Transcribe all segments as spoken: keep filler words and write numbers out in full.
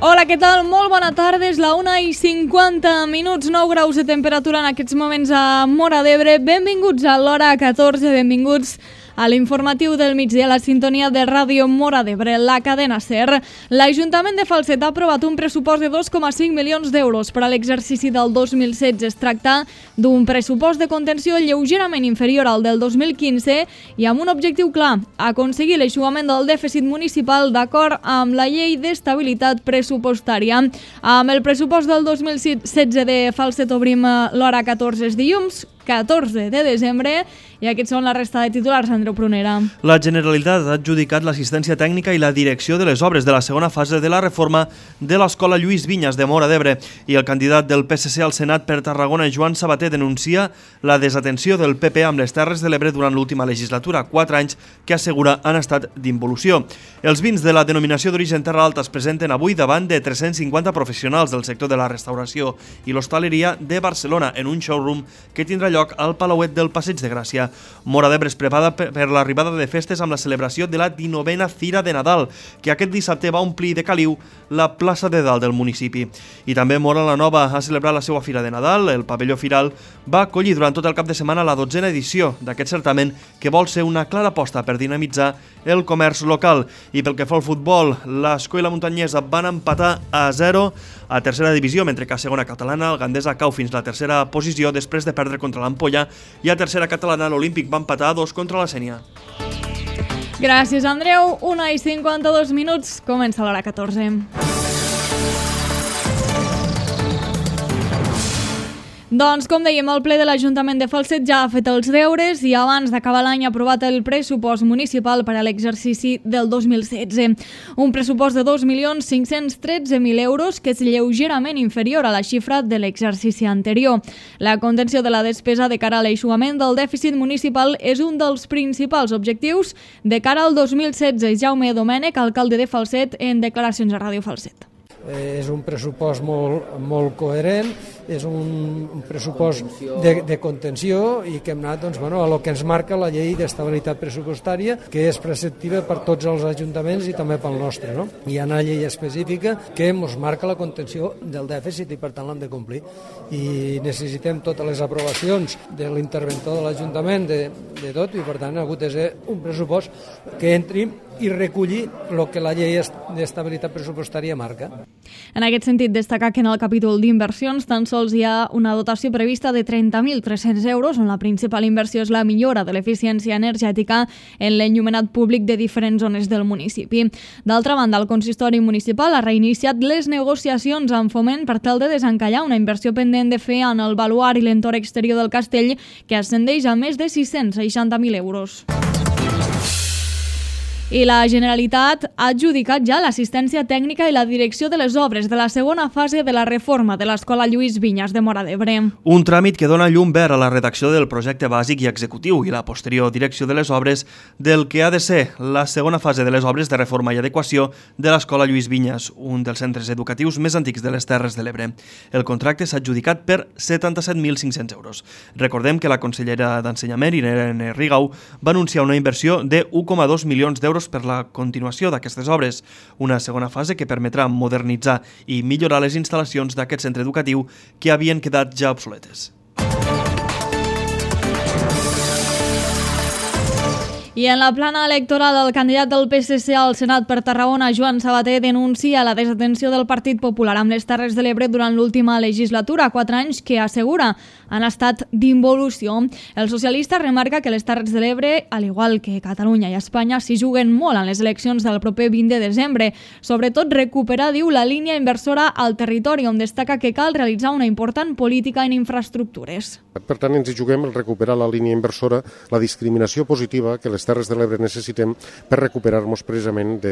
Hola, què tal? Molt bona tarda, és la una i cinquanta minuts, nou graus de temperatura en aquests moments a Móra d'Ebre. Benvinguts a l'hora catorze, benvinguts a l'informatiu del migdia, la sintonia de Ràdio Móra d'Ebre, la cadena SER. L'Ajuntament de Falset ha aprovat un pressupost de dos coma cinc milions d'euros per a l'exercici del dos mil setze. Es tracta d'un pressupost de contenció lleugerament inferior al del dos mil quinze i amb un objectiu clar, aconseguir l'eixugament del dèficit municipal d'acord amb la llei d'estabilitat pressupostària. Amb el pressupost del dos mil setze de Falset obrim l'hora catorze, és dilluns catorze de desembre, i aquests són la resta de titulars, Andreu Prunera. La Generalitat ha adjudicat l'assistència tècnica i la direcció de les obres de la segona fase de la reforma de l'Escola Lluís Vinyes de Móra d'Ebre, i el candidat del P S C al Senat per Tarragona, Joan Sabater, denuncia la desatenció del P P amb les Terres de l'Ebre durant l'última legislatura, quatre anys que assegura han estat d'involució. Els vins de la denominació d'origen Terra Alta es presenten avui davant de tres-cents cinquanta professionals del sector de la restauració i l'hostaleria de Barcelona en un showroom que tindrà lloc al Palauet del Passeig de Gràcia. Móra d'Ebre es prepara per l'arribada de festes amb la celebració de la dinovena Fira de Nadal, que aquest dissabte va omplir de caliu la plaça de dalt del municipi. I també Móra la Nova ha celebrat la seva Fira de Nadal. El pavelló Firal va acollir durant tot el cap de setmana la dotzena edició d'aquest certament, que vol ser una clara aposta per dinamitzar el comerç local. I pel que fa al futbol, l'Esco i la Muntanyesa van empatar a zero a tercera divisió, mentre que a segona catalana el Gandesa cau fins a la tercera posició després de perdre contra l'Ampolla, i a tercera catalana l'Olímpic va empatar a dos contra la Sénia. Gràcies, Andreu. una i cinquanta-dos minuts, comença l'hora catorze. Doncs, com dèiem, el ple de l'Ajuntament de Falset ja ha fet els deures i abans d'acabar l'any ha aprovat el pressupost municipal per a l'exercici del dos mil setze. Un pressupost de dos milions cinc-cents tretze mil euros, que és lleugerament inferior a la xifra de l'exercici anterior. La contenció de la despesa de cara a l'eixugament del dèficit municipal és un dels principals objectius de cara al dos mil setze. Jaume Domènech, alcalde de Falset, en declaracions a Ràdio Falset. Eh, és un pressupost molt, molt coherent, és un, un pressupost de, de contenció i que hem anat doncs, bueno, a lo que ens marca la llei d'estabilitat pressupostària, que és preceptiva per tots els ajuntaments i també pel nostre. No? Hi ha una llei específica que ens marca la contenció del dèficit i per tant l'hem de complir. I necessitem totes les aprovacions de l'interventor de l'Ajuntament, de, de tot, i per tant ha hagut de ser un pressupost que entri i recollir el que la llei d'estabilitat pressupostària marca. En aquest sentit, destacar que en el capítol d'inversions tan sols hi ha una dotació prevista de trenta mil tres-cents euros, on la principal inversió és la millora de l'eficiència energètica en l'enllumenat públic de diferents zones del municipi. D'altra banda, el consistori municipal ha reiniciat les negociacions amb Foment per tal de desencallar una inversió pendent de fer en el baluard i l'entorn exterior del castell, que ascendeix a més de sis-cents seixanta mil euros. I la Generalitat ha adjudicat ja l'assistència tècnica i la direcció de les obres de la segona fase de la reforma de l'Escola Lluís Vinyes de Móra d'Ebre. Un tràmit que dona llum verd a la redacció del projecte bàsic i executiu i la posterior direcció de les obres del que ha de ser la segona fase de les obres de reforma i adequació de l'Escola Lluís Vinyes, un dels centres educatius més antics de les Terres de l'Ebre. El contracte s'ha adjudicat per setanta-set mil cinc-cents euros. Recordem que la consellera d'Ensenyament, Irene Rigau, va anunciar una inversió de un coma dos milions d'euros per la continuació d'aquestes obres, una segona fase que permetrà modernitzar i millorar les instal·lacions d'aquest centre educatiu que havien quedat ja obsoletes. I en la plana electoral, el candidat del P S C al Senat per Tarragona, Joan Sabater, denuncia la desatenció del Partit Popular amb les Terres de l'Ebre durant l'última legislatura, quatre anys que assegura han estat d'involució. El socialista remarca que les Terres de l'Ebre, al igual que Catalunya i Espanya, s'hi juguen molt en les eleccions del proper vint de desembre. Sobretot recuperar, diu, la línia inversora al territori, on destaca que cal realitzar una important política en infraestructures. Per tant, ens hi juguem el recuperar la línia inversora, la discriminació positiva que les les Terres de l'Ebre necessitem per recuperar-nos precisament de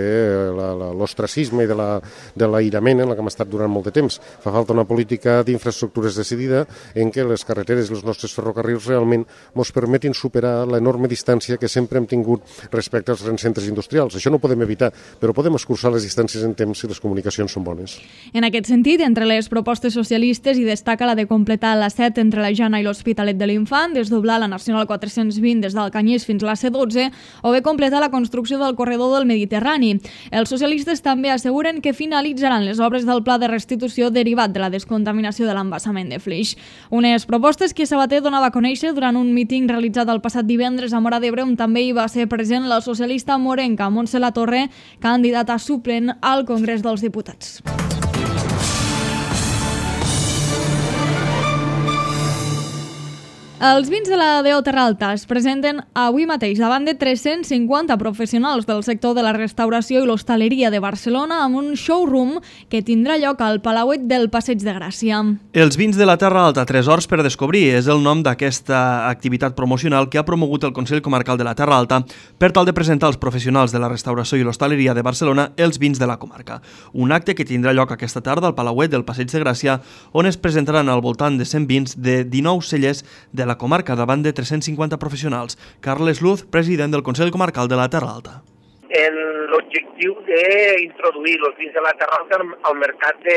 l'ostracisme i de l'aïrament en la que hem estat durant molt de temps. Fa falta una política d'infraestructures decidida en què les carreteres i els nostres ferrocarrils realment ens permetin superar l'enorme distància que sempre hem tingut respecte als grans centres industrials. Això no ho podem evitar, però podem escurçar les distàncies en temps si les comunicacions són bones. En aquest sentit, entre les propostes socialistes hi destaca la de completar la set entre la Jana i l'Hospitalet de l'Infant, desdoblar la Nacional quatre-cents vint des del Canyís fins a la C dotze o bé completar la construcció del corredor del Mediterrani. Els socialistes també asseguren que finalitzaran les obres del pla de restitució derivat de la descontaminació de l'embassament de Flix. Unes propostes que Sabater donava a conèixer durant un míting realitzat el passat divendres a Móra d'Ebre, on també hi va ser present la socialista morenca Montse Latorre, candidata suplent al Congrés dels Diputats. Els vins de la D O Terra Alta es presenten avui mateix davant de tres-cents cinquanta professionals del sector de la restauració i l'hostaleria de Barcelona amb un showroom que tindrà lloc al Palauet del Passeig de Gràcia. Els vins de la Terra Alta, tresors per descobrir, és el nom d'aquesta activitat promocional que ha promogut el Consell Comarcal de la Terra Alta per tal de presentar als professionals de la restauració i l'hostaleria de Barcelona els vins de la comarca. Un acte que tindrà lloc aquesta tarda al Palauet del Passeig de Gràcia, on es presentaran al voltant de cent vins de dinou cellers de la la comarca davant de tres-cents cinquanta professionals. Carles Luz, president del Consell Comarcal de la Terra Alta. L'objectiu d'introduir els vins de la Terra Alta al mercat de,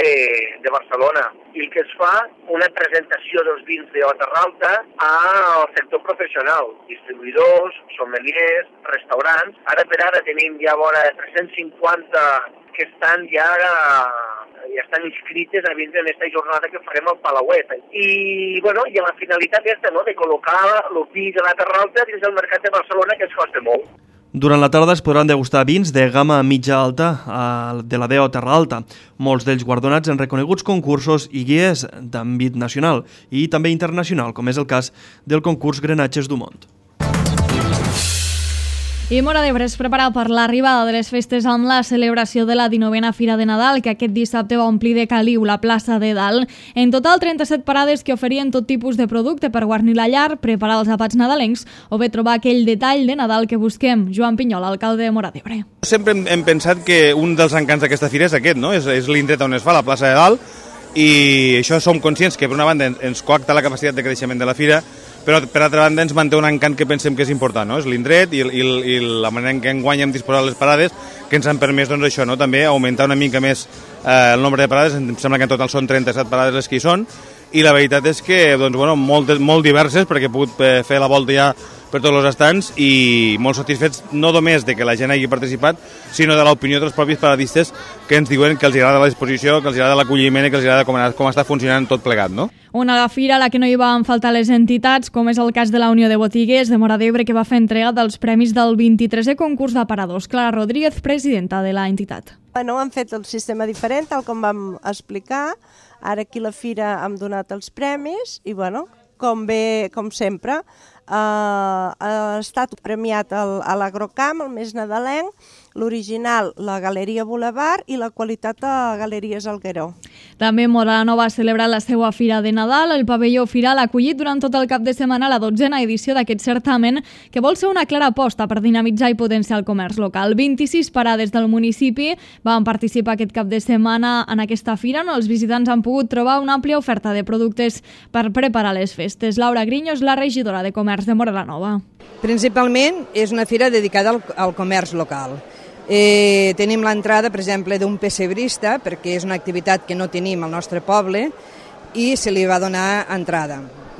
de Barcelona i que es fa una presentació dels vins de la Terra Alta al sector professional, distribuïdors, sommeliers, restaurants. Ara per ara tenim ja vora tres-cents cinquanta que estan ja ja estan inscrites a vindre en aquesta jornada que farem al Palauet. I, bueno, i la finalitat és no, de col·locar el vi de la Terra Alta dins del mercat de Barcelona, que es costa molt. Durant la tarda es podran degustar vins de gamma mitja-alta de la D O Terra Alta, molts d'ells guardonats en reconeguts concursos i guies d'àmbit nacional i també internacional, com és el cas del concurs Grenatges du Mont. I Móra d'Ebre es prepara per l'arribada de les festes amb la celebració de la dinovena Fira de Nadal, que aquest dissabte va omplir de caliu la plaça de Dalt. En total, trenta-set parades que oferien tot tipus de producte per guarnir la llar, preparar els àpats nadalencs o bé trobar aquell detall de Nadal que busquem. Joan Pinyol, alcalde de Móra d'Ebre. Sempre hem, hem pensat que un dels encants d'aquesta fira és aquest, no? És, és l'indret on es fa, la plaça de Dalt, i això som conscients que per una banda ens coacta la capacitat de creixement de la fira, però per altra banda ens manté un encant que pensem que és important, no? És l'indret i, i, i la manera en què enguany hem disposat les parades que ens han permès doncs, això, no? També augmentar una mica més eh, el nombre de parades. Em sembla que en total són trenta-set parades les que hi són, i la veritat és que doncs, bueno, molt, molt diverses, perquè he pogut fer la volta ja per tots els estants i molt satisfets no només de que la gent hagi participat, sinó de l'opinió dels propis paradistes que ens diuen que els agrada l'exposició, que els agrada l'acolliment i que els agrada com, com està funcionant tot plegat, no? Una fira a la que no hi van faltar les entitats, com és el cas de la Unió de Botiguers de Móra d'Ebre, que va fer entrega dels premis del vint-i-tresè concurs d'aparadors. Clara Rodríguez, presidenta de la entitat. Bueno, han fet el sistema diferent, tal com vam explicar. Ara aquí a la fira hem donat els premis i, bueno, com bé, com sempre, eh, ha estat premiat el, a l'Agrocamp, el més nadalenc, l'original, la Galeria Boulevard, i la qualitat de Galeries Algueró. També Móra la Nova ha celebrat la seva Fira de Nadal. El pavelló Firal ha acollit durant tot el cap de setmana la dotzena edició d'aquest certamen, que vol ser una clara aposta per dinamitzar i potenciar el comerç local. vint-i-sis parades del municipi van participar aquest cap de setmana en aquesta fira, on els visitants han pogut trobar una àmplia oferta de productes per preparar les festes. Laura Griño és la regidora de Comerç de Móra la Nova. Principalment és una fira dedicada al, al comerç local. Eh, tenim l'entrada, per exemple, d'un pessebrista, perquè és una activitat que no tenim al nostre poble, i se li va donar entrada.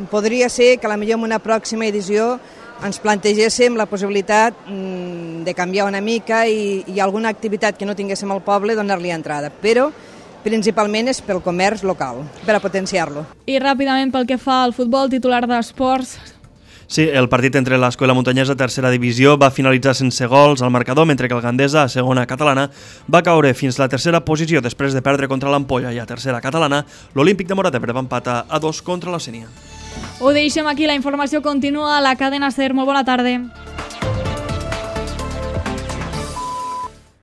Podria ser que potser en una pròxima edició ens plantegéssim la possibilitat mm, de canviar una mica i, i alguna activitat que no tinguéssim al poble donar-li entrada, però principalment és pel comerç local, per a potenciar-lo. I ràpidament pel que fa al futbol, titular d'esports. Sí, el partit entre l'Escola Muntanyesa tercera divisió va finalitzar sense gols al marcador, mentre que el Gandesa, a segona catalana, va caure fins a la tercera posició després de perdre contra l'Ampolla, i a tercera catalana l'Olímpic de Móra d'Ebre va empatar a dos contra la Sénia. Ho deixem aquí, la informació continua a la cadena SER. Molt bona tarda.